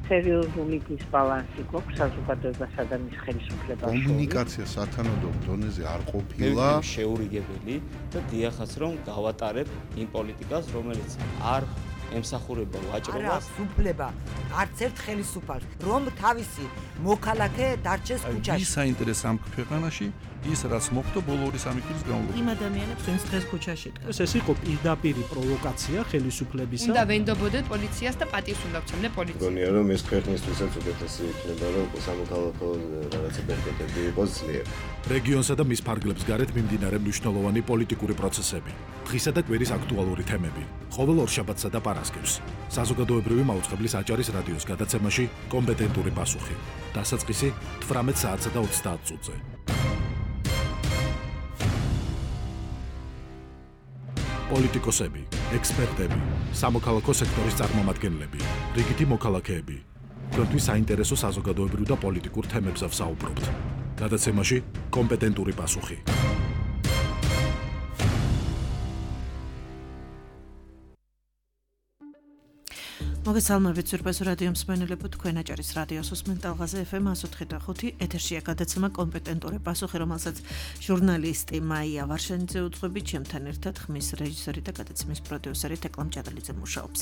სერიოზული დისბალანსი გვაქვს საზოგადოებასა და მის ხელისუფლებას შორის. კომუნიკაცია სათანადო დონეზე არ ყოფილა. შეურიგებელი და დიახაც რომ გავატარებ იმ პოლიტიკას, რომელიც არ ემსახურება ვაჭრობას. სუფლება არც ერთ ხელისუფალს, რომ თავისი მოქალაქე დარჩეს ქუჩაში. ის საინტერესო ამ ქვეყანაში ის რაც მოხდა ბოლო 2-3 წლის განმავლობაში. იმ ადამიანებს ვინც დღეს ქუჩაში დგას. ეს იყო პირდაპირი პროვოკაცია ხელისუფლებისა. უნდა ვენდობოდეთ პოლიციას და პატივს უნდა ვცემდე პოლიციას. მგონია რომ ეს ქვეყნისთვისაც უკეთესი იქნება რომ სამოქალაქო რაღაცა პერპეტები იყოს ძლიერ. რეგიონსა და მის ფარგლებს გარეთ მიმდინარე მნიშვნელოვანი პოლიტიკური პროცესები, დღისა და კვირის აქტუალური თემები, ყოველ ორშაბათსა და პარასკევს. საზოგადოებრივი მაუწყებლის აჭარის რადიოს გადაცემაში კომპეტენტური პასუხი. დასაწყისი 18 საათსა და 30 წუთზე. პოლიტიკოსები, ექსპერტები, სამოქალაქო სექტორის წარმომადგენლები, რიგითი მოქალაქეები. თქვენთვის საინტერესო საზოგადოებრივ და პოლიტიკურ თემებზე ვსაუბრობთ. გადაცემაში კომპეტენტური პასუხი. მოგესალმებით ზურბაზო რადიო მსმენელებო, თქვენ აჭარის რადიოს უსმენთ ალღაზე FM 104.5 ეთერშია გადაცემა კომპეტენტური პასუხი, რომელსაც ჟურნალისტი მაია ვარშანიძე უძღვებით, ჩემთან ერთად ხმის რეჟისორი და გადაცემის პროდიუსერი თეკლა მჭადალიძე მუშაობს.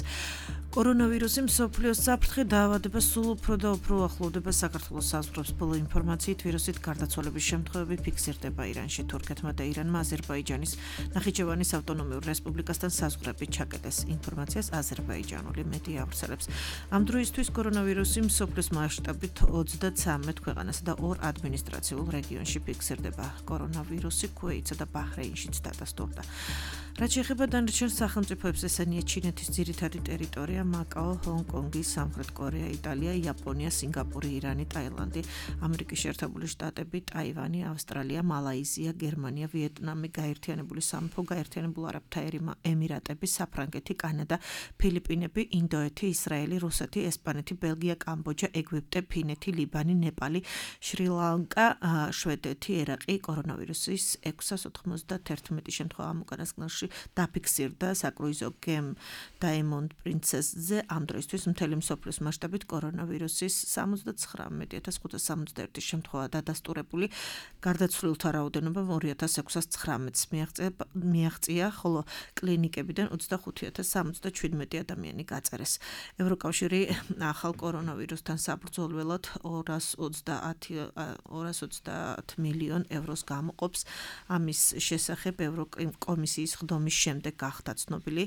კორონავირუსი მსოფლიოს საფრთხე დაავადება სულ უფრო და უფრო ახლოვდება საქართველოს საზღვრებს. ბოლო ინფორმაციით ვირუსით გარდაცვალების შემთხვევები ფიქსირდება ირანში, თურქეთმა და ირანმა აზერბაიჯანის ნახიჩევანის ავტონომიურ რესპუბლიკასთან საზღვრებით ჩაკეტეს. ინფორმაციას აზერბაიჯანული მედია ავრცელებს. ამ დროისთვის კორონავირუსი მსოფლიოს მასშტაბით 33 ქვეყანასა და 2 ადმინისტრაციულ რეგიონში ფიქსირდება. კორონავირუსი ქუეითსა და ბაჰრეინშიც დადასტურდა. რაც შეეხება დანარჩენ სახელმწიფოებს, ესენია ჩინეთის ძირითადი ტერიტორია, მაკაო, ჰონგ-კონგი, სამხრეთ კორეა, იტალია, იაპონია, სინგაპური, ირანი, ტაილანდი, ამერიკის შეერთებული შტატები, ტაივანი, ავსტრალია, მალაიზია, გერმანია, ვიეტნამი, გაერთიანებული სამეფო, გაერთიანებულ არაბთა ემირატები, საფრანგეთი, კანადა, ფილიპინები, ინდოეთი, ისრაელი, რუსეთი, ესპანეთი, ბელგია, კამბოჯა, ეგვიპტე, ფინეთი, ლიბანი, ნეპალი, შრი-ლანკა, შვედეთი, ერაყი კორონავირუსის 691 შემთხვევა ამ უკანასკნელში დაფიქსირდა საკრუიზო გემ Diamond Princess-ზე. ამ დროისთვის მთელი მსოფლიოს მასშტაბით კორონავირუსის 79,571 შემთხვევა დადასტურებული. გარდაცვლილთა რაოდენობა 2619-ს მიაღწია, ხოლო კლინიკებიდან 25,077 ადამიანი გაწერეს. ევროკავშირი ახალ კორონავირუსთან საბრძოლველად 230 მილიონ ევროს გამოყოფს. ამის შესახებ ევროკომისიის ხდომის შემდეგ გახდა ცნობილი.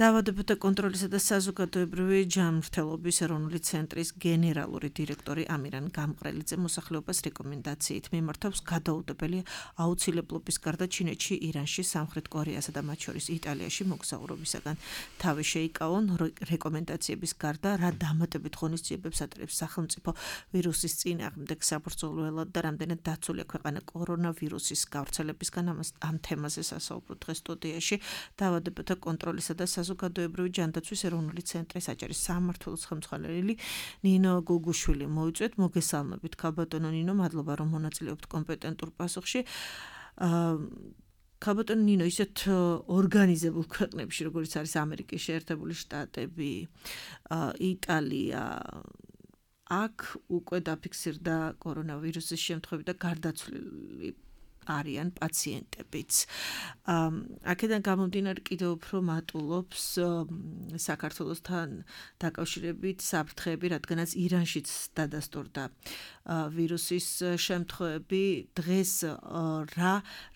დაავადებათა კონტროლისა და საზოგადოებრივი ჯანმრთელობის ეროვნული ცენტრის გენერალური დირექტორი ამირან გამყრელიძე მოსახლეობას რეკომენდაციით მიმართავს გადაუდებელი აუცილებლობის გარდა ჩინეთში, ირანში, სამხრეთ კორეასა და მათ შორის იტალიაში მოგზაურობისაგან თავი შეიკავონ. რეკომენდაციების გარდა რა დამატებით ღონისძიებებს ატარებს სახელმწიფო ვირუსის წინააღმდეგ საბრძოლველად და რამდენად დაცულია ქვეყანა კორონავირუსის გავრცელებისგან, ამ თემაზე სასაუბროთ დღეს სტუდიაში. დაავადებათა კონტროლისა და საზოგადოებრივი ჯანდაცვის ეროვნული ცენტრის აჭარის სამმართველოს ხელმძღვანელი ნინო გუგუშვილი მოიწვიეთ. მოგესალმებით ქალბატონო ნინო, მადლობა რომ მონაწილეობთ კომპეტენტურ პასუხში. ქალბატონო ნინო, ისეთ ორგანიზებულ ქვეყნებში, როგორც არის ამერიკის შეერთებული შტატები, იტალია, აქ უკვე დაფიქსირდა კორონავირუსის შემთხვევები და გარდაცვლილი არიან პაციენტებიც. აქედან გამომდინარე კიდევ უფრო მატულობს საქართველოსთან დაკავშირებით საფრთხეები, რადგანაც ირანშიც დადასტურდა ვირუსის შემთხვევები. დღეს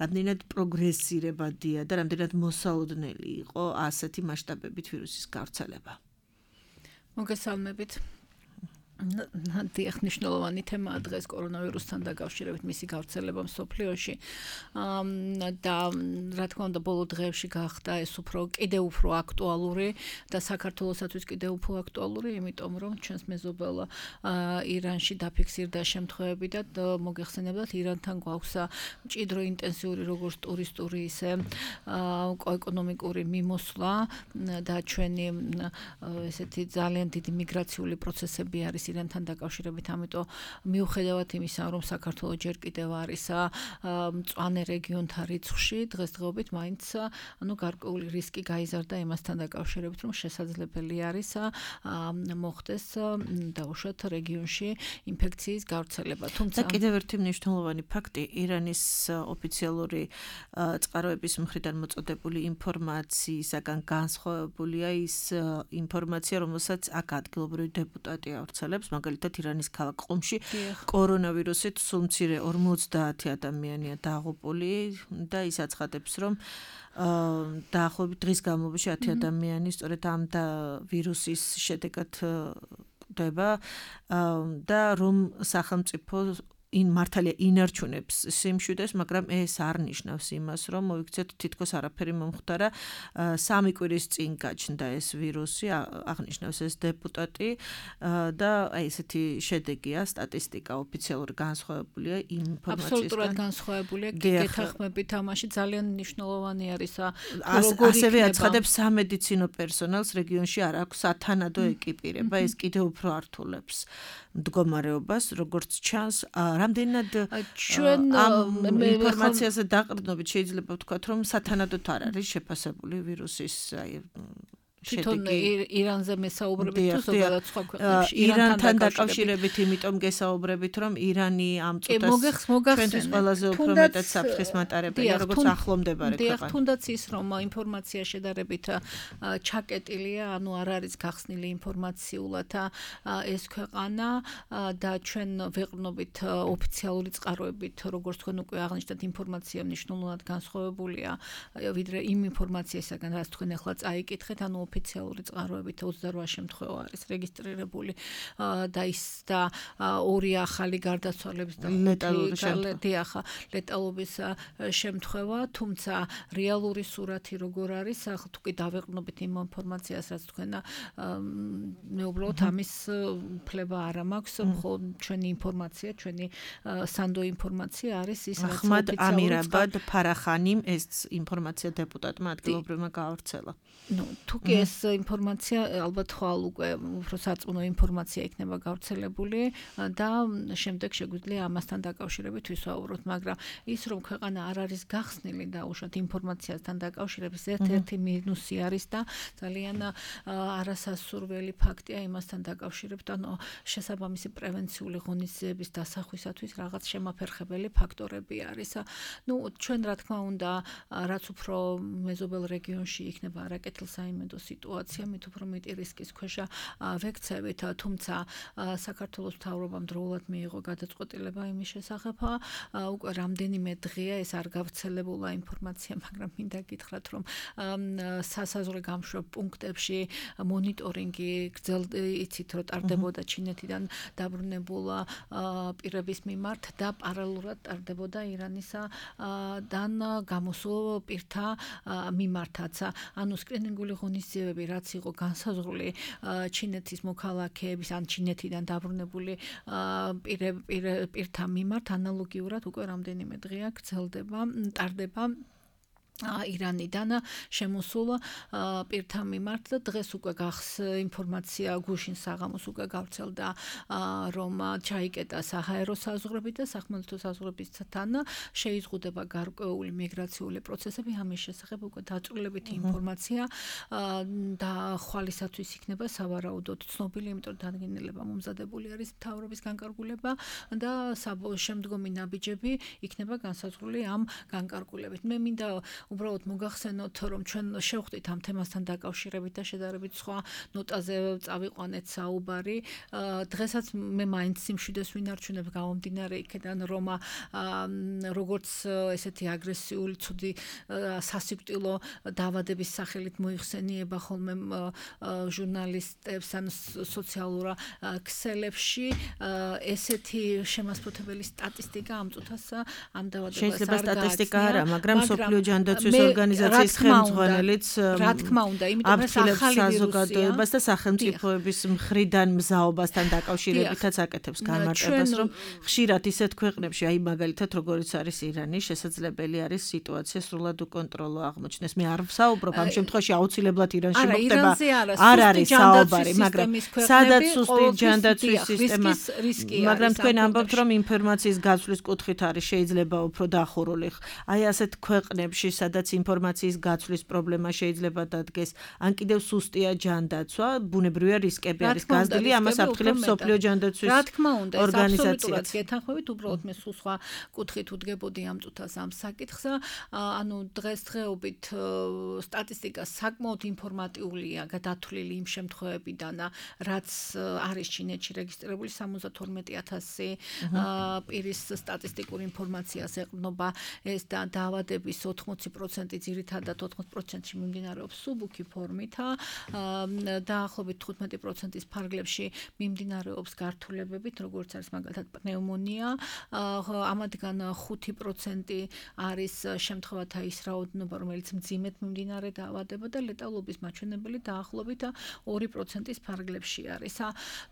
რამდენად პროგრესირებადია და რამდენად მოსალოდნელი იყო ასეთი მასშტაბებით ვირუსის გავრცელება? მოგესალმებით. დიახ, მნიშვნელოვანი თემაა დღეს კორონავირუსთან დაკავშირებით მისი გავრცელება მსოფლიოში. და რა თქმა უნდა, ბოლო დღეებში გახდა ეს კიდევ უფრო აქტუალური და საქართველოსათვის კიდევ უფრო აქტუალური, იმიტომ რომ ჩვენს მეზობელ ირანში დაფიქსირდა შემთხვევები და მოგეხსენებათ, ირანთან გვაქვს მჭიდრო ინტენსიური როგორც ტურისტული, ისე ეკონომიკური მიმოსვლა და ჩვენი ესეთი ძალიან დიდი მიგრაციული პროცესები არის ირანთან დაკავშირებით, ამიტომ მიუხედავად იმისა, რომ საქართველოს ჯერ კიდევ არის მწვანე რეგიონთა რიცხვში, დღესდღეობით მაინც გარკვეული რისკი გაიზარდა იმასთან დაკავშირებით, რომ შესაძლებელი არის მოხდეს დაუშვათ რეგიონში ინფექციის გავრცელება. თუმცა კიდევ ერთი მნიშვნელოვანი ფაქტი, ირანის ოფიციალური წყაროების მხრიდან მოწოდებული ინფორმაციისაგან განსხვავებულია ის ინფორმაცია, რომელსაც აქ ადგილობრივი დეპუტატი ავრცელებს, მაგალითად ირანის ქალაქ ყუმში კორონავირუსით სულ მცირე 50 ადამიანია დაღუპული და ის აცხადებს, რომ დაახლოებით დღის განმავლობაში 10 ადამიანი სწორედ ამ ვირუსის შედეგად ხვდება და რომ სახელმწიფო მართალია ინარჩუნებს სიმშვიდეს, მაგრამ ეს არ ნიშნავს იმას, რომ მოიქცეთ თითქოს არაფერი მომხდარა. 3 კვირის წინ გაჩნდა ეს ვირუსი, აღნიშნავს ეს დეპუტატი და ესეთი შედეგია, სტატისტიკა ოფიციალური განსხვავებულია ინფორმაციისგან. აბსოლუტურად განსხვავებულია. გეთანხმებით ამაში ძალიან მნიშვნელოვანი არის ასევე აცხადებს სამედიცინო პერსონალს რეგიონში არ აქვს სათანადო ეკიპირება, ეს კიდევ უფრო ართულებს მდგომარეობას, როგორც ჩანს. რამდენად ჩვენ ინფორმაციაზე დაყრდნობით შეიძლება ვთქვათ, რომ სათანადოდ არ არის შეფასებული ვირუსის თვითონ ირანზე მესაუბრებით თუ ზოგადად სხვა ქვეყნებში ირანთან დაკავშირებით, იმიტომ გესაუბრებით, რომ ირანი ამ წუთას ჩვენთვის ყველაზე უფრო მეტად საფრთხის მატარებელია, როგორც ახლომდებარე ქვეყანა. თუნდაც ის, რომ ინფორმაცია შედარებით ჩაკეტილია, ანუ არ არის გახსნილი ინფორმაციულად ეს ქვეყანა და ჩვენ ვეყრდნობით ოფიციალური წყაროებით, როგორც თქვენ უკვე აღნიშნეთ, ინფორმაცია მნიშვნელოვნად განსხვავებულია ვიდრე იმ ინფორმაციისაგან, რაც თქვენ ახლა წაიკითხეთ, ანუ ოფიციალური წყაროებით 28 შემთხვევა არის რეგისტრირებული და ის და 2 ახალი გარდაცვალების და ლეტალობის შემთხვევა, თუმცა რეალური სურათი როგორ არის, თუ კი დავეყრდნობით იმ ინფორმაციას, რაც თქვენ მე უბრალოდ ამის ფლება არ მაქვს, მხოლოდ ჩვენი ინფორმაცია, ჩვენი სანდო ინფორმაცია არის ის, რაც ახმად ამირაბად ფარახანიმ ეს ინფორმაცია დეპუტატმა ადგილობრივმა გაავრცელა. თუ კი ეს ინფორმაცია ალბათ ხვალ უკვე უფრო სარწმუნო ინფორმაცია იქნება გავრცელებული და შემდეგ შეგვიძლია ამასთან დაკავშირებით ვისაუბროთ, მაგრამ ის რომ ქვეყანა არ არის გახსნილი და უშუალოდ ინფორმაციასთან დაკავშირების ერთ-ერთი მინუსი არის და ძალიან არასასურველი ფაქტია იმასთან დაკავშირებით, ანუ შესაბამისი პრევენციული ღონისძიების დასახვისათვის რაღაც შემაფერხებელი ფაქტორები არის. ჩვენ რა თქმა უნდა, რაც უფრო მეზობელ რეგიონში იქნება არაკეთილსაიმედო სიტუაცია, მით უფრო მეტი რისკის ქვეშ ვექცევით, თუმცა საქართველოს მთავრობამ დროულად მიიღო გადაწყვეტილება იმის შესახებ, უკვე რამდენიმე დღეა ეს არ გავრცელებულა ინფორმაცია, მაგრამ მინდა გითხრათ, რომ სასაზღვრო გამშვებ პუნქტებში მონიტორინგი იცით, რომ ტარდებოდა ჩინეთიდან დაბრუნებულა პირების მიმართ და პარალელურად ტარდებოდა ირანისგან გამოსულ პირთა მიმართაც. ანუ სკრინინგული ღონისძიებები, რაც იყო განსაზღვრული ჩინეთის მოქალაქეების ან ჩინეთიდან დაბრუნებული პირთა მიმართ, ანალოგიურად უკვე რამდენიმე დღეა გრძელდება, ტარდება ირანიდან შემოსულ პირთა მიმართ და დღეს უკვე ინფორმაცია გუშინ საღამოს უკვე გავრცელდა, რომ ჩაიკეტა საჰაერო საზღვრები და სახმელეთო საზღვრებისთან შეიზღუდება გარკვეული მიგრაციული პროცესები, ამის შესახებ უკვე დაწვრილებითი ინფორმაცია და ხვალისათვის იქნება სავარაუდოდ ცნობილი, იმიტომ დადგენილება მომზადებული არის მთავრობის განკარგულება და შემდგომი ნაბიჯები იქნება განსაზღვრული ამ განკარგულებით. მე მინდა უბრალოდ მოგახსენოთ, რომ ჩვენ შევხვდით ამ თემასთან დაკავშირებით და შედარებით სხვა ნოტაზე წავიყვანეთ საუბარი. დღესაც მე მაინც სიმშვიდეს ვინარჩუნებ გამომდინარე იქიდან, რომ როგორც ესეთი აგრესიული, ცუდი სასიკვდილო დაავადების სახელით მოიხსენიება ხოლმე ჟურნალისტებს ან სოციალურ ქსელებში, ესეთი შემასწავლებელი სტატისტიკა ამ წუთას ამ დაავადებას არ შეიძლება სტატისტიკა არა, მაგრამ სოფლიო ჯანდაცვის ჯანდაცვის ორგანიზაციის ხელმძღვანელიც რა თქმა უნდა, იმიტომ რომ ახალი საზოგადოებას და სახელმწიფოების მხრიდან მზაობასთან დაკავშირებითაც აკეთებს განმარტებას, რომ ხშირად ისეთ ქვეყნებში, აი მაგალითად როგორიც არის ირანი, შესაძლებელი არის სიტუაცია სრულად უკონტროლო აღმოჩნდეს. მე არ ვსაუბრობ ამ შემთხვევაში აუცილებლად ირანში მოხდება. არ არის საუბარი, მაგრამ სადაც სუსტი ჯანდაცვის სისტემა, მაგრამ თქვენ ამბობთ, რომ ინფორმაციის გაცვლის კუთხით არის შეიძლება უფრო დახურული. აი ასეთ ქვეყნებში, სადაც ინფორმაციის გაცვლის პრობლემა შეიძლება დადგეს, ან კიდევ სუსტია ჯანდაცვა, ბუნებრივია რისკები არის გაზრდილი, ამას აფრთხილებს მსოფლიო ჯანდაცვის რა თქმა უნდა, ეს ორგანიზაცია. აბსოლუტურად გეთანხმებით, უბრალოდ მე სულ სხვა კუთხით უდგებოდი ამ წუთას ამ საკითხს. ანუ დღესდღეობით სტატისტიკა საკმაოდ ინფორმატიულია, გადათვლილი იმ შემთხვევებიდან, რაც არის ჩინეთში რეგისტრირებული 72,000 პირის სტატისტიკურ ინფორმაციას ეყრდნობა ეს და დაავადების 80% ძირითადად 80%-ში მიმდინარეობს სუბუქი ფორმით, დაახლოებით 15%-ის ფარგლებში მიმდინარეობს გართულებებით, როგორც არის მაგალითად პნევმონია, ამათგან 5% არის შემთხვევათა ის რაოდენობა, რომელიც მძიმედ მიმდინარე დაავადება და ლეტალობის მაჩვენებელი დაახლოებით 2%-ის ფარგლებში არის.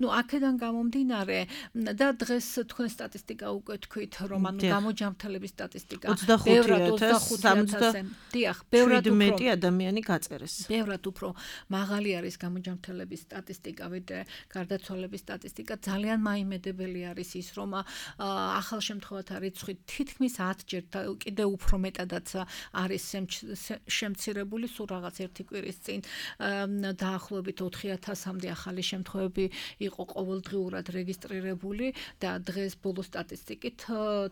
ნუ აქედან გამომდინარე და დღეს თქვენ სტატისტიკა უკვე თქვით, რომ ანუ გამოჯამრთელების სტატისტიკა 25,000 დიახ, ბევრად მეტი ადამიანი გაწერეს. ბევრად უფრო მაღალი არის გამოჯამრთელების სტატისტიკა, ვიდრე გარდაცვალების სტატისტიკა. ძალიან მაიმედებელი არის ის, რომ ახალ შემთხვევათა რიცხვი თითქმის 10-ჯერ და კიდევ უფრო მეტადაც არის შემცირებული, სულ რაღაც ერთი კვირის წინ დაახლოებით 4,000-მდე ახალი შემთხვევები იყო ყოველდღიურად რეგისტრირებული და დღეს ბოლო სტატისტიკით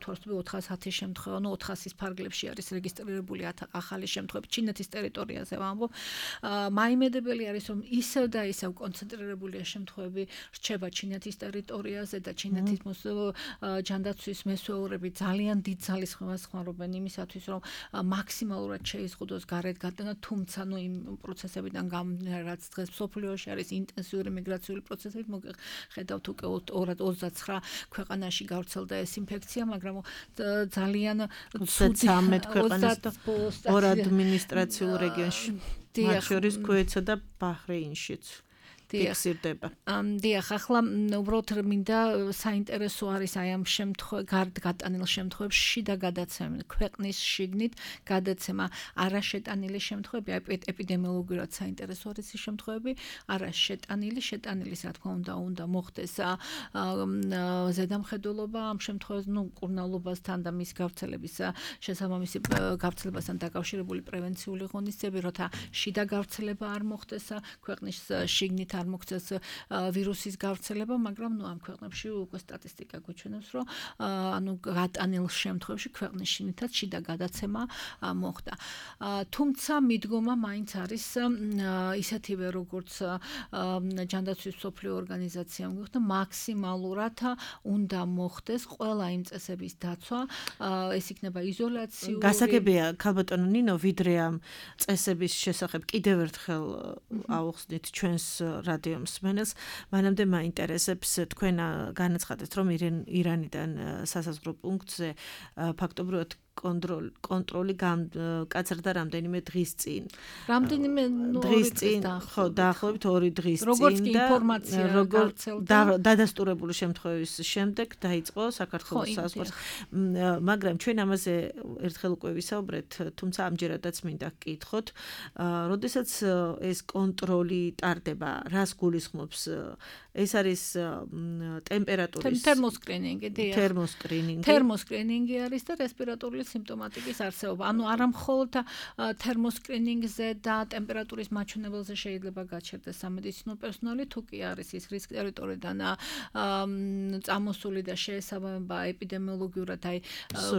თუ არ ვთქვი 410 შემთხვევა, 400-ის ფარგლებში არის რეგისტრირებული ახალი შემთხვევები ჩინეთის ტერიტორიაზე ვამბობ. მაიმედებელი არის, რომ ისევ და ისევ კონცენტრირებულია შემთხვევები რჩება ჩინეთის ტერიტორიაზე და ჩინეთის ჯანდაცვის მესვეურები ძალიან დიდ ძალისხმევას ხმარობენ იმისათვის, რომ მაქსიმალურად შეიზღუდოს გარეთ გადანა, თუმცა ნუ იმ პროცესებიდან გამომდინარე, რაც დღეს მსოფლიოში არის ინტენსიური მიგრაციული პროცესები, ხედავთ უკვე 29 ქვეყანაში გავრცელდა ეს ინფექცია, მაგრამ ძალიან 13 ქვეყანას და 2 ადმინისტრაციულ რეგიონში, მათ შორის ქუეთსა და ბაჰრეინშიც. ფიქსირდება. დიახ, ახლა უბრალოდ მინდა საინტერესო არის აი ამ გატანილ შემთხვევებში შიდა გადაცემა, ქვეყნის შიგნით გადაცემა, არაშეტანილი შემთხვევები, ეპიდემიოლოგიურად საინტერესო არის ის შემთხვევები, არაშეტანილის, რა თქმა უნდა მოხდეს ზედამხედველობა ამ შემთხვევაში, კურნალობასთან და მის გავრცელების შესაბამისი გავრცელებასთან დაკავშირებული პრევენციული ღონისძიებები, როცა შიდა გავრცელება არ მოხდეს ქვეყნის შიგნით არ მოხდეს ვირუსის გავრცელება, მაგრამ ამ ქვეყნებში უკვე სტატისტიკა გვეჩვენებს, რომ ანუ გატანილ შემთხვევებში ქვეყნის შიგნითაც შიდა გადაცემა მოხდა. თუმცა მიდგომა მაინც არის ისეთივე, როგორც ჯანდაცვის მსოფლიო ორგანიზაციამ გვიხსნა, მაქსიმალურად უნდა მოხდეს ყველა იმ წესების დაცვა, ეს იქნება იზოლაციური. გასაგებია, ქალბატონო ნინო, ვიდრე ამ წესების შესახებ კიდევ ერთხელ ავხსნით ჩვენს რადიო მსმენელს, მანამდე მაინტერესებს თქვენ განაცხადეთ, რომ ირანიდან სასაზღვრო პუნქტზე ფაქტობრივად კონტროლი კაცრდა რამდენიმე დღის წინ. რამდენიმე დღის წინ, ხო, დაახლოებით 2 დღის წინ როგორც კი ინფორმაცია გავრცელდა დადასტურებული შემთხვევის შემდეგ დაიწყო საქართველოს საზღვარს. მაგრამ ჩვენ ამაზე ერთხელ უკვე ვისაუბრეთ, თუმცა ამჯერადაც მინდა გკითხოთ, როდესაც ეს კონტროლი ტარდება, რას გულისხმობს? ეს არის ტემპერატურის თერმოსკრინინგი, დიახ. თერმოსკრინინგი არის და რესპირატორული სიმპტომატიკის არსებობა. ანუ არა მხოლოდ თერმოსკრინინგზე და ტემპერატურის მაჩვენებელზე შეიძლება გაჩერდეს სამედიცინო პერსონალი, თუ კი არის ის რისკ ტერიტორიიდან წამოსული და შეესაბამება ეპიდემიოლოგიურად აი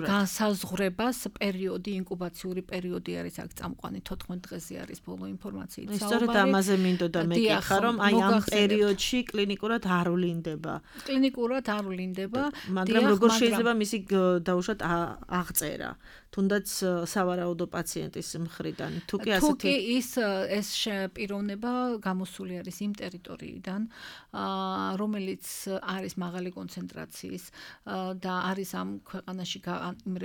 განსაზღვრებას პერიოდი, ინკუბაციური პერიოდი არის აქ წამყვანი 14 დღეზე არის ბოლო ინფორმაციით საუბარი. ისწორედ ამაზე მინდოდა მეკითხა, რომ აი ამ პერიოდში კლინიკურად არ ვლინდება. კლინიკურად არ ვლინდება, მაგრამ როგორ შეიძლება მისი დაუშვათ აღწერა თუნდაც სავარაუდო პაციენტის მხრიდან. თუკი ეს პიროვნება გამოსული არის იმ ტერიტორიიდან, რომელიც არის მაღალი კონცენტრაციის და არის ამ ქვეყანაში იმ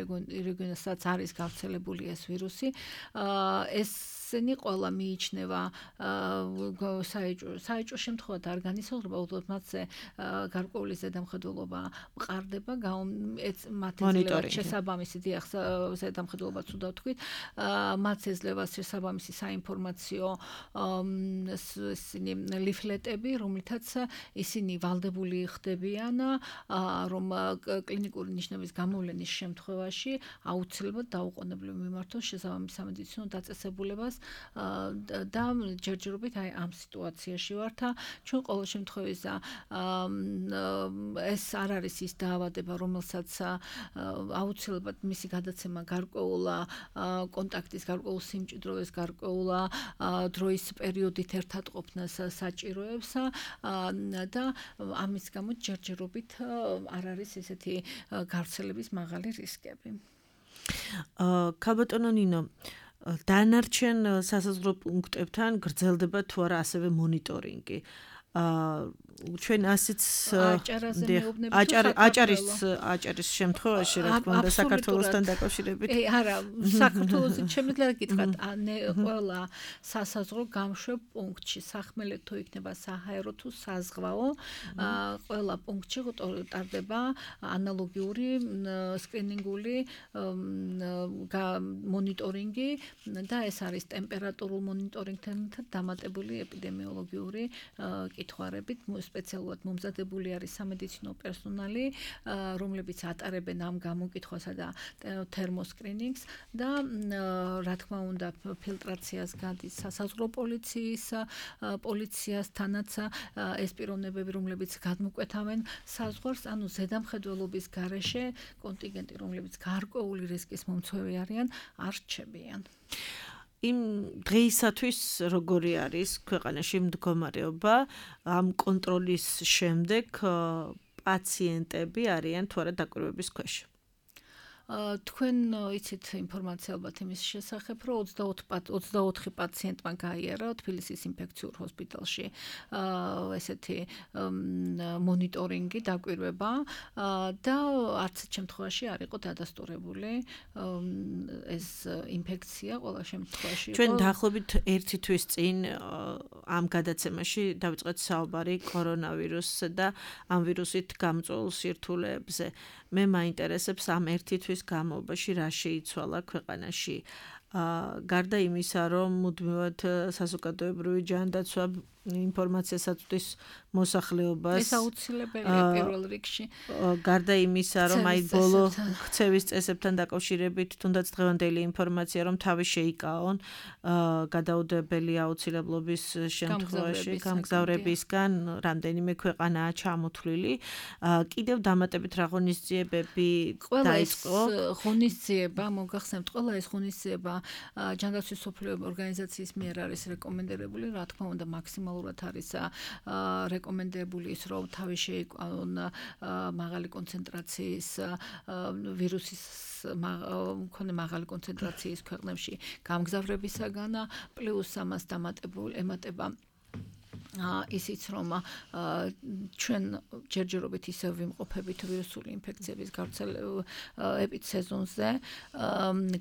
რეგიონასაც არის გავრცელებული ეს ვირუსი. ესენი ყველა მიიჩნევა საეჭვო შემთხვევად არ განისაზღვრება, უბრალოდ მათზე გარკვეული ზედამხედველობა მყარდება, მათი შესაბამისი ზედამხედველობა თუნდა ვთქვით, მათ ეძლევა შესაბამისი საინფორმაციო ლიფლეტები, რომლითაც ისინი ვალდებული ხდებიან, რომ კლინიკური ნიშნების გამოვლენის შემთხვევაში აუცილებლად დაუყოვნებლივ მიმართონ შესაბამის სამედიცინო დაწესებულებას და ჯერჯერობით აი ამ სიტუაციაში ვართ. ჩვენ ყოველ შემთხვევაში ეს არ არის ის დაავადება, რომელსაც აუცილებლად მისი გადაცემა გარკვეულ კონტაქტის, გარკვეულ სიმჭიდროვის, გარკვეულ დროის პერიოდით ერთად ყოფნას საჭიროებს და ამის გამო ჯერჯერობით არ არის ესეთი გავრცელების მაღალი რისკები. ქალბატონო ნინო, დანარჩენ სასაზღვრო პუნქტებთან გრძელდება თუ არა ასევე მონიტორინგი? ჩვენ ასეც აჭარის შემთხვევაში რა თქმა უნდა საქართველოსთან დაკავშირებით არა საქართველოსი შემიძლია გითხრათ ყველა სასაზღვრო გამშვებ პუნქტში სახმელეთო იქნება საჰაერო თუ საზღვაო ყველა პუნქტში ტარდება ანალოგიური სკრინინგული მონიტორინგი და ეს არის ტემპერატურულ მონიტორინგთან დამატებული ეპიდემიოლოგიური კითხვარებით სპეციალურად მომზადებული არის სამედიცინო პერსონალი, რომლებიც ატარებენ ამ გამოკითხვასა და თერმოსკრინინგს და რა თქმა უნდა ფილტრაციას გადის სასაზღვრო პოლიციასთანაც ეს პიროვნებები, რომლებიც გადმოკვეთავენ საზღვარს, ანუ ზედამხედველობის გარეშე კონტინგენტი, რომლებიც გარკვეული რისკის მომცვევი არიან, არ რჩებიან. იმ დღეისათვის როგორი არის ქვეყანაში მდგომარეობა ამ კონტროლის შემდეგ პაციენტები არიან თუ არა დაკვირვების ქვეშ? თქვენ იცით ინფორმაცია ალბათ იმის შესახებ, რომ 24 პაციენტმა გაიარა თბილისის ინფექციურ ჰოსპიტალში ესეთი მონიტორინგი, დაკვირვება და არც შემთხვევაში არ იყო დადასტურებული ეს ინფექცია ყველა შემთხვევაში. ჩვენ დაახლოებით 1 თვის წინ ამ გადაცემაში დავიწყეთ საუბარი კორონავირუსზე და ამ ვირუსით გამწვეულ სირთულეებზე. მე მაინტერესებს ამ 1 თვის განმავლობაში რა შეიცვალა ქვეყანაში. გარდა იმისა, რომ მუდმივად საზოგადოებრივი ჯანდაცვა ინფორმაციას აწვდის მოსახლეობას. ეს აუცილებელია პირველ რიგში. გარდა იმისა, რომ აი ბოლო ქცევის წესებთან დაკავშირებით თუნდაც დღევანდელი ინფორმაცია, რომ თავი შეიკაონ გადაუდებელი აუცილებლობის შემთხვევაში გამგზავრებისგან რამდენიმე ქვეყანაა ჩამოთვლილი. კიდევ დამატებით რა ღონისძიებები დაიწყო? ღონისძიება, მოგახსენებთ, ყველა ეს ღონისძიება ჯანდაცვის მსოფლიო ორგანიზაციის მიერ არის რეკომენდებული, რა თქმა უნდა, მაქსიმალურად არის რეკომენდებული ის, რომ თავი შეიკვანონ მაღალი კონცენტრაციის ვირუსის მქონე მაღალი კონცენტრაციის ქვეყნებში გამგზავრებისაგან, პლუს ამას ემატება ისიც რომ ჩვენ ჯერჯერობით ისევ ვიმყოფებით ვირუსული ინფექციების ეპიდსეზონზე,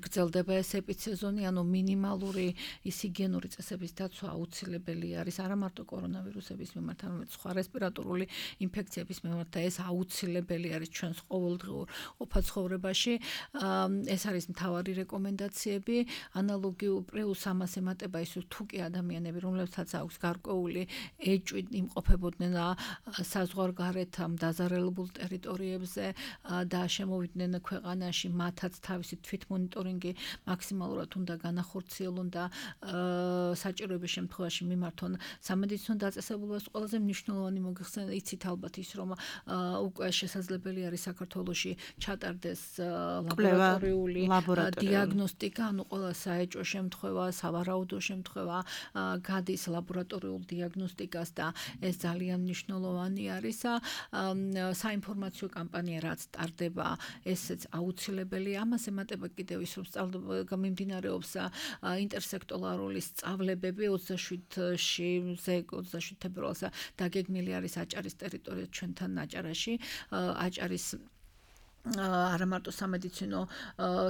გრძელდება ეს ეპიდსეზონი, ანუ მინიმალური ჰიგიენური წესების დაცვა აუცილებელი არის არა მარტო კორონავირუსების მიმართ, არამედ სხვა რესპირატორული ინფექციების მიმართ და ეს აუცილებელი არის ჩვენს ყოველდღიურ ყოფა-ცხოვრებაში. ეს არის მთავარი რეკომენდაციები, ანალოგიურ პლუს ამას ემატება ის თუ კი ადამიანები, რომლებსაც აქვს გარკვეული ეჭვი იმყოფებოდნენ საზღვარგარეთ ამ დაზარალებულ ტერიტორიებზე და შემოვიდნენ ქვეყანაში, მათაც თავისი თვითმონიტორინგი მაქსიმალურად უნდა განახორციელონ და საჭიროების შემთხვევაში მიმართონ სამედიცინო დაწესებულებას. ყველაზე მნიშვნელოვანი მოგეხსენებათ, იცით ალბათ ის, რომ უკვე შესაძლებელი არის საქართველოში ჩატარდეს ლაბორატორიული დიაგნოსტიკა, ანუ ყველა საეჭვო შემთხვევა, სავარაუდო შემთხვევა გადის ლაბორატორიულ დიაგნოსტიკაში დიაგნოსტიკას და ეს ძალიან მნიშვნელოვანი არის. საინფორმაციო კამპანია რაც ტარდება, ესეც აუცილებელი. ამაზე ემატება კიდევ ის, რომ მიმდინარეობს ინტერსექტორალური სწავლებები 27 თებერვალს დაგეგმილი არის აჭარის ტერიტორია ჩვენთან აჭარაში. აჭარის არა მარტო სამედიცინო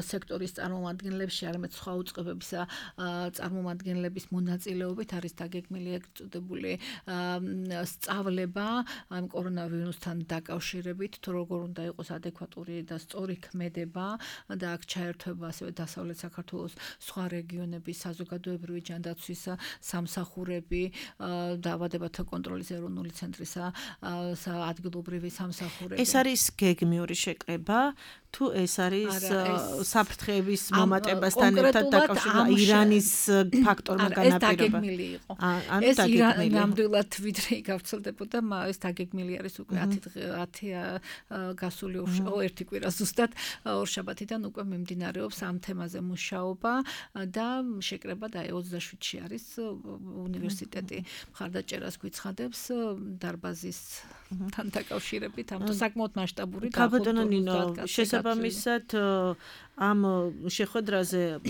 სექტორის წარმომადგენლებში, არამედ სხვა უწყებების წარმომადგენლების მონაწილეობით არის დაგეგმილი ეგ წოდებული სწავლება ამ კორონავირუსთან დაკავშირებით, თუ როგორ უნდა იყოს ადეკვატური და სწორი ქმედება და აქ ჩაერთვება ასევე დასავლეთ საქართველოს სხვა რეგიონების საზოგადოებრივი ჯანდაცვის სამსახურები, დაავადებათა კონტროლის ეროვნული ცენტრის ადგილობრივი სამსახურები. ეს არის გეგმიური შეკრება თუ ეს არის საფრთხეების მომატებასთან ერთად დაკავშირებული Ირანის ფაქტორმა განაპირობა. ეს დაგეგმილი იყო. ეს ნამდვილად ვიდრე გავრცელდებოდა, ეს დაგეგმილი არის უკვე 10 გასული ერთი კვირა ზუსტად ორშაბათიდან უკვე მიმდინარეობს ამ თემაზე მუშაობა და შეკრება და 27-ში არის უნივერსიტეტი მხარდაჭერას გვიცხადებს დარბაზის თან დაკავშირებით, ამ საკმაოდ მასშტაბური ქაბატონო ნინო, შესაბამისად ამ შეხვედრაზე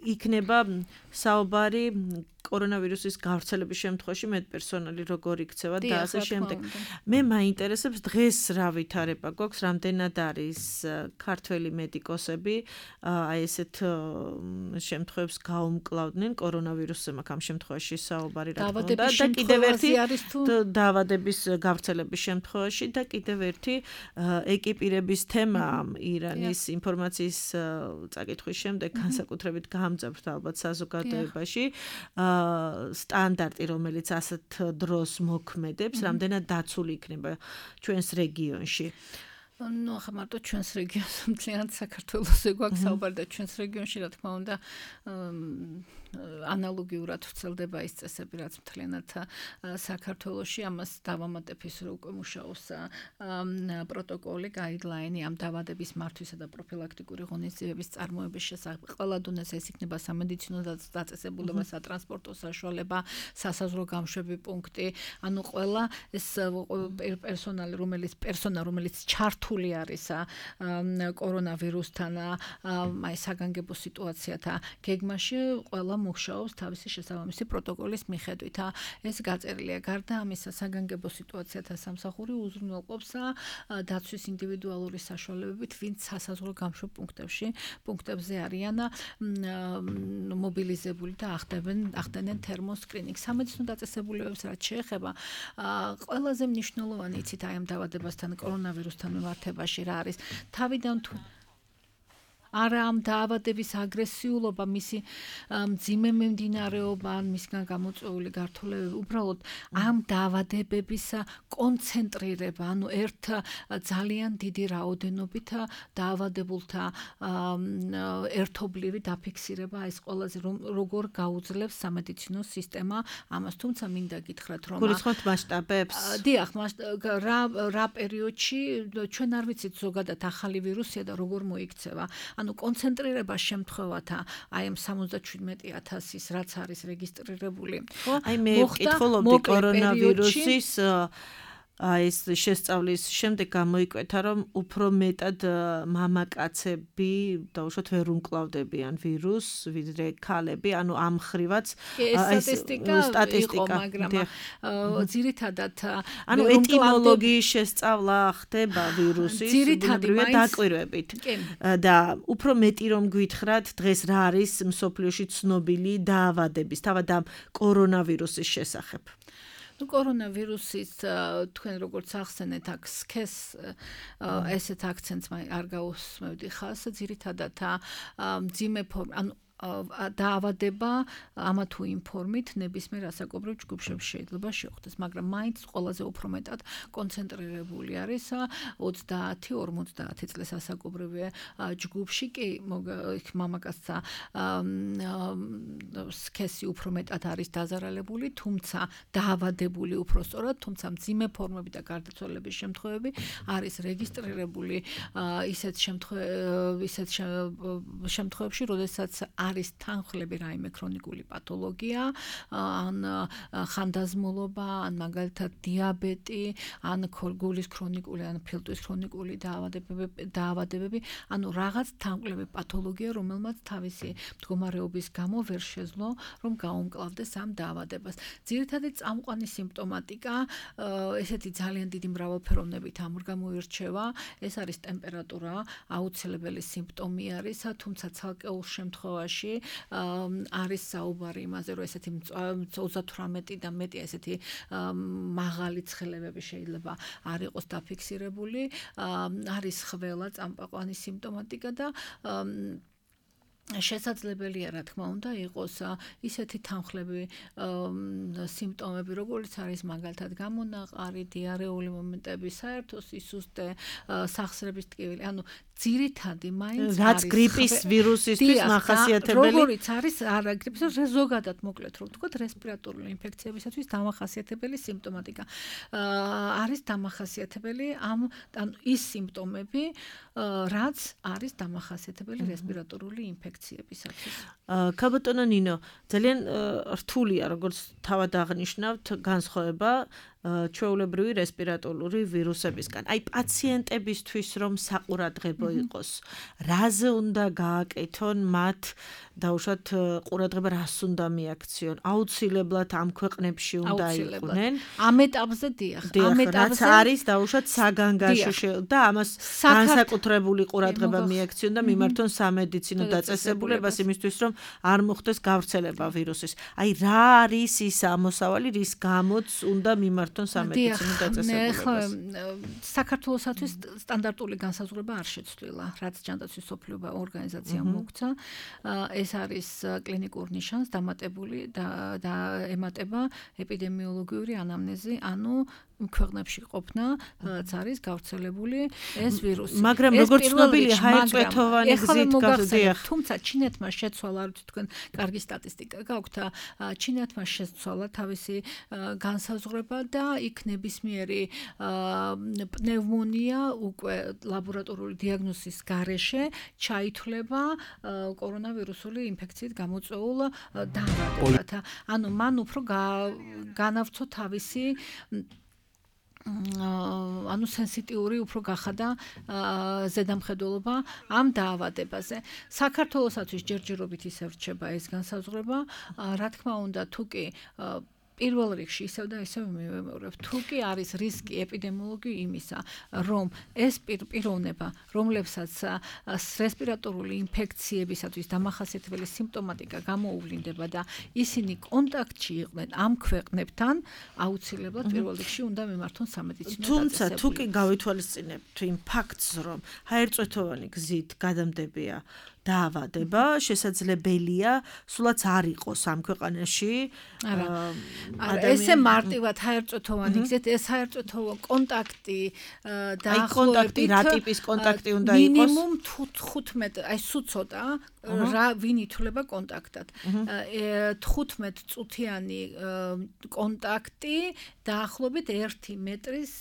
იქნება საუბარი კორონავირუსის გავრცელების შემთხვევაში მეტპერსონალი როგორ იქცევა და ასე შემდეგ. მე მაინტერესებს დღეს რა ვითარება გვაქვს, რამდენად არის ქართველი მედიკოსები აი ესეთ შემთხვევებს გაუმკლავდნენ კორონავირუსზე, მაგ ამ შემთხვევაში საუბარი რა თქმა უნდა და კიდევ ერთი დაავადების გავრცელების შემთხვევაში და კიდევ ერთი ეკიპირების თემა ირანის ინფორმაციის წაკითხვის შემდეგ განსაკუთრებით გამძაბთ ალბათ საზოგადოებაში. სტანდარტი, რომელიც ასეთ დროს მოქმედებს, რამდენად დაცული იქნება ჩვენს რეგიონში. ახლა მარტო ჩვენს რეგიონს მთლიანად საქართველოსზე გვაქვს საუბარი და ჩვენს რეგიონში რა თქმა უნდა ანალოგიურად ვრცელდება ის წესები, რაც მთლიანად საქართველოში. ამას დავამატებ ის, რომ უკვე მუშაობს პროტოკოლი, გაიდლაინი ამ დაავადების მართვისა და პროფილაქტიკური ღონისძიებების წარმოების შესახებ. ყველა დონეზე ეს იქნება სამედიცინო დაწესებულება, სატრანსპორტო საშუალება, სასაზღვრო გამშვები პუნქტი, ანუ ყველა ეს პერსონალი, რომელიც ჩართული არის კორონავირუსთან, აი საგანგებო სიტუაციათა გეგმაში, ყველა მუშაობს თავისი შესაბამისი პროტოკოლის მიხედვით. ეს გაწერილია. გარდა ამისა, საგანგებო სიტუაციათა სამსახური უზრუნველყოფს დაცვის ინდივიდუალური საშუალებებით, ვინც სასაზღვრო გამშვებ პუნქტებზე არიან მობილიზებული და ახდენენ თერმოსკრინინგს. სამედიცინო დაწესებულებებს რაც შეეხება, ყველაზე მნიშვნელოვანი იცით აი ამ დაავადებასთან, კორონავირუსთან მიმართებაში რა არის? თავიდან თუ არა ამ დაავადების აგრესიულობა, მისი მძიმე მიმდინარეობა, ან მისგან გამოწვეული გართულებები, უბრალოდ ამ დაავადებების კონცენტრირება, ანუ ერთ ძალიან დიდი რაოდენობით დაავადებულთა ერთობლივი დაფიქსირება, ეს ყველაზე როგორ გაუძლებს სამედიცინო სისტემა ამას, თუმცა მინდა გითხრათ, რომ გულისხმობთ მასშტაბებს? დიახ, რა პერიოდში ჩვენ არ ვიცით ზოგადად ახალი ვირუსია და როგორ მოიქცევა. ანუ კონცენტრირება შემთხვევათა აი ამ 77,000-ის რაც არის რეგისტრირებული. აი მე ვკითხულობდი კორონავირუსის ეს შესწავლის შემდეგ გამოიკვეთა, რომ უფრო მეტად მამაკაცები დაუშვათ ვერ უმკლავდებიან ვირუსს, ვიდრე ქალები, ანუ ამ ხრივაც სტატისტიკა იყო, მაგრამ ძირითადად ანუ ეტიმოლოგიის შესწავლა ხდება ვირუსის ბუნებრივი დაკვირვებით. და უფრო მეტი რომ გვითხრათ, დღეს რა არის მსოფლიოში ცნობილი დაავადების, თავად ამ კორონავირუსის შესახებ? კორონავირუსის თქვენ როგორც ახსენეთ, აქ სქეს ესეთ აქცენტს არ გაუსმევდი ხალხს, ძირითადად მძიმე ფორმა, ანუ დაავადება ამა თუ იმ ფორმით ნებისმიერ ასაკობრივ ჯგუფებში შეიძლება შეხვდეს, მაგრამ მაინც ყველაზე უფრო მეტად კონცენტრირებული არის 30-50 წლის ასაკობრივ ჯგუფში, კი მამაკაცთა სქესი უფრო მეტად არის დაზარალებული, თუმცა დაავადებული უფრო სწორად, თუმცა მძიმე ფორმები და გარდაცვალების შემთხვევები არის რეგისტრირებული ისეთ შემთხვევებში, როდესაც არ არის თანხლები რაიმე ქრონიკული პათოლოგია, ან ხანდაზმულობა, ან მაგალითად დიაბეტი, ან გულის ქრონიკული, ან ფილტვის ქრონიკული დაავადებები, ანუ რაღაც თანხლები პათოლოგია, რომელმაც თავისი მდგომარეობის გამო ვერ შეძლო, რომ გაუმკლავდეს ამ დაავადებას. ძირითადი წამყვანი სიმპტომატიკა, ესეთი ძალიან დიდი მრავალფეროვნებით ამორგამოირჩევა, ეს არის ტემპერატურა, აუცილებელი სიმპტომი არის, თუმცა ცალკეულ შემთხვევაში არის საუბარი იმაზე, რომ ესეთი 38 და მეტი ესეთი მაღალი ცხელებები შეიძლება არ იყოს დაფიქსირებული, არის ყველა წამყვანი სიმპტომატიკა და შესაძლებელია, რა თქმა უნდა, იყოს ისეთი თანხლები, სიმპტომები, როგორც არის მაგალითად გამონაყარი, დიარეული მომენტები, საერთო სისუსტე, სახსრების ტკივილი, ანუ ძირითადი მაინც არის რაც გრიპის ვირუსისთვის მახასიათებელი, როგორიც არის არა გრიპის, ზოგადად მოკლედ რომ ვთქვათ, რესპირატორული ინფექციებისათვის დამახასიათებელი სიმპტომატიკა. არის დამახასიათებელი ანუ ის სიმპტომები, რაც არის დამახასიათებელი რესპირატორული ინფექციებისათვის. ქალბატონო ნინო, ძალიან რთულია, როგორც თავად აღნიშნავთ, განსხვავება ჩვეულებრივი რესპირატორული ვირუსებისგან. აი პაციენტებისთვის რომ საყურადღებო იყოს, რაზე უნდა გააკეთონ მათ დაუშვათ ყურადღება რას უნდა მიაქციონ? აუცილებლად ამ ქვეყნებში უნდა იყვნენ. ამ ეტაპზე დიახ, ამ ეტაპზე არის დაუშვათ საგანგაშო და ამას განსაკუთრებული ყურადღება მიაქციონ და მიმართონ სამედიცინო დაწესებულებას იმისთვის რომ არ მოხდეს გავრცელება ვირუსის. აი რა არის ის ამოსავალი, რის გამოც უნდა მიმართონ სამედიცინო დაწესებულებას? საქართველოსათვის სტანდარტული განსაზღვრება არ შეცვლილა, რაც ჯანდაცვის მსოფლიო ორგანიზაციამ მოგცა. ეს არის კლინიკურ ნიშანს დამატებული და ემატება ეპიდემიოლოგიური ანამნეზი, ანუ ქვეყნებში ყოფნა, რაც არის გავრცელებული ეს ვირუსი. მაგრამ როგორც ცნობილია, ჰაერწვეთოვანი გზით გავდიახ. თუმცა ჩინეთმა შეცვალა, არ ვიცი თქვენ კარგი სტატისტიკა გაქვთ, ჩინეთმა შეცვალა თავისი განსაზღვრება და იქ ნებისმიერი პნევმონია უკვე ლაბორატორიული დიაგნოზის გარეშე ჩაითვლება კორონავირუსული ინფექციით გამოწვეულ დაავადებად. ანუ მან უფრო განავრცო თავისი ანუ სენსიტიური უფრო გახადა ზედამხედველობა ამ დაავადებაზე. საქართველოსათვის ჯერჯერობით ისევ რჩება ეს განსაზღვრება, რა თქმა უნდა, თუკი პირველ რიგში ისევ და ისევ მივემეორებ, თუკი არის რისკი ეპიდემიოლოგიური იმისა, რომ ეს პიროვნება, რომლებსაც რესპირატორული ინფექციებისათვის დამახასიათებელი სიმპტომატიკა გამოუვლინდება და ისინი კონტაქტში იყვნენ ამ ქვეყნებთან, აუცილებლად პირველ რიგში უნდა მიმართონ სამედიცინო დაწესებულებას. თუმცა თუკი გავითვალისწინებთ იმ ფაქტს, რომ ჰაერწვეთოვანი გზით გადამდებია დაავადება, შესაძლებელია სულაც არ იყოს ამ ქვეყანაში. ესე მარტივად ჰაერწვეთოვანი გზით, ეს ჰაერწვეთოვანი კონტაქტი დაახლოებით რა ტიპის კონტაქტი უნდა იყოს? მინიმუმ 15, აი სულ ცოტა რა ვინ ითვლება კონტაქტად. 15 წუთიანი კონტაქტი დაახლოებით 1 მეტრის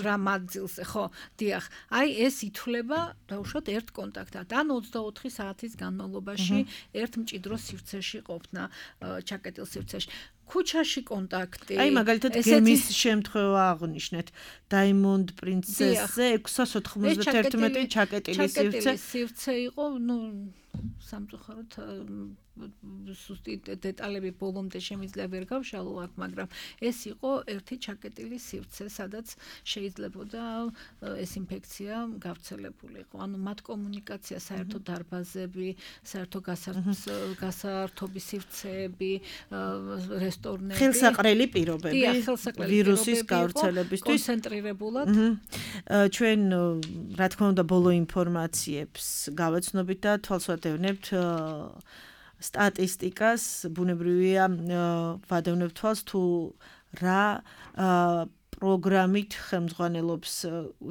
რამაძილზე, ხო, დიახ. აი ეს ითვლება დაუშვათ ერთ კონტაქტად. ან 24 საათის განმავლობაში ერთ მჭიდრო სივრცეში ყოფნა, ჩაკეტილ სივრცეში. ქუჩაში კონტაქტი. აი მაგალითად გემის შემთხვევა აღნიშნეთ. Diamond Princess-ზე 691 ჩაკეტილი სივრცე იყო, ნუ სამწუხაროდ სუსტი დეტალები ბოლომდე შემიძლია ვერ გავშალო აქ, მაგრამ ეს იყო ერთი ჩაკეტილი სივრცე, სადაც შეიძლებოდა ეს ინფექცია გავრცელებულიყო. ანუ მათ კომუნიკაცია, საერთო დარბაზები, საერთო გასართობის სივრცეები, რესტორნები, ხელსაყრელი პირობები ვირუსის გავრცელებისთვის კონცენტრირებულად. ჩვენ რა თქმა უნდა ბოლო ინფორმაციებს გავაცნობით და თვალსვათევნებთ სტატისტიკას, ბუნებრივია ვადევნებთ თვალს თუ რა პროგრამით ხელმძღვანელობს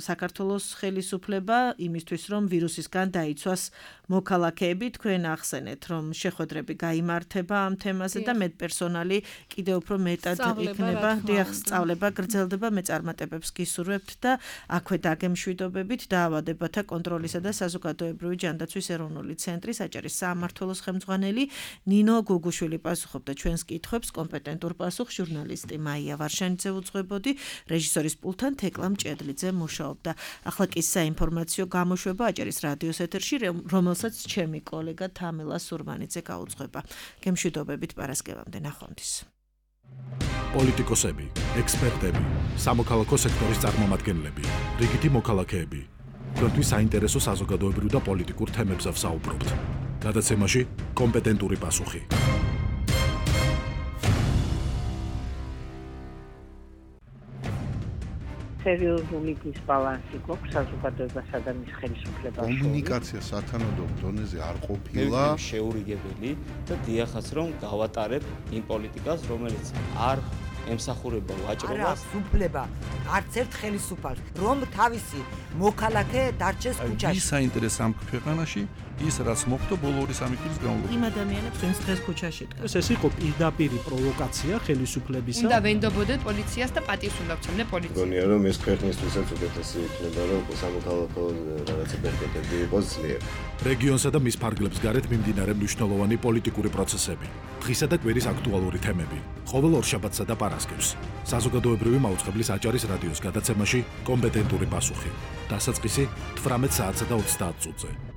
საქართველოს ხელისუფლება იმისთვის, რომ ვირუსისგან დაიცვას მოქალაქეები, თქვენ ახსენეთ, რომ შეხვედრები გაიმართება ამ თემაზე და медპერსონალი კიდევ უფრო მეტად იქნება, სწავლება გრძელდება, მეწარმატებებს გისურვებთ და აქვე დაგემშვიდობებით დაავადებათა კონტროლისა და საზოგადოებრივი ჯანდაცვის ეროვნული ცენტრის აჭარის საამმართველოს ხელმძღვანელი ნინო გუგუშვილი პასუხობდა ჩვენს კითხვებს, კომპეტენტურ პასუხს ჟურნალისტი მაია ვარშანიძე უძღვებოდი, რეჟისორის პულთან თეკლა მჭედლიძე მუშაობდა. ახლა კი საინფორმაციო გამოშვება აჭარის რადიოს ეთერში, რომელსაც ჩემი კოლეგა თამილა სურმანიძე გაუძღვება. გემშვიდობებით პარასკევამდე ნახვამდის. პოლიტიკოსები, ექსპერტები, სამოქალაქო სექტორის წარმომადგენლები, რიგითი მოქალაქეები. თქვენთვის საინტერესო საზოგადოებრივ და პოლიტიკურ თემებზე ვსაუბრობთ. გადაცემაში კომპეტენტური პასუხი. სერიოზული დისბალანსი გვაქვს საზოგადოებასა და მის ხელისუფლებას. კომუნიკაცია სათანადო დონეზე არ ყოფილა. შეურიგებელი და დიახაც რომ გავატარებ იმ პოლიტიკას, რომელიც არ ემსახურება ვაჭრობას. უფლება არც ერთ ხელისუფალს, რომ თავისი მოქალაქე დარჩეს ქუჩაში. ვის საინტერესო ამ ქვეყანაში ის რაც მოხდა ბოლო 2-3 წლის განმავლობაში. იმ ადამიანებს ვინც დღეს ქუჩაში დგას. ეს იყო პირდაპირი პროვოკაცია ხელისუფლებისა. უნდა ვენდობოდეთ პოლიციას და პატივს უნდა ვცემდე პოლიციას. გონია რომ ეს ქვეყნისთვისაც უკეთესი იქნება რომ სამოქალაქო რაღაცა პერპეტები იყოს ძლიერ. რეგიონსა და მის ფარგლებს გარეთ მიმდინარე მნიშვნელოვანი პოლიტიკური პროცესები, დღისა და კვირის აქტუალური თემები, ყოველ ორშაბათსა და პარასკევს. საზოგადოებრივი მაუწყებლის აჭარის რადიოს გადაცემაში კომპეტენტური პასუხი. დასაწყისი 18 საათსა და 30 წუთზე.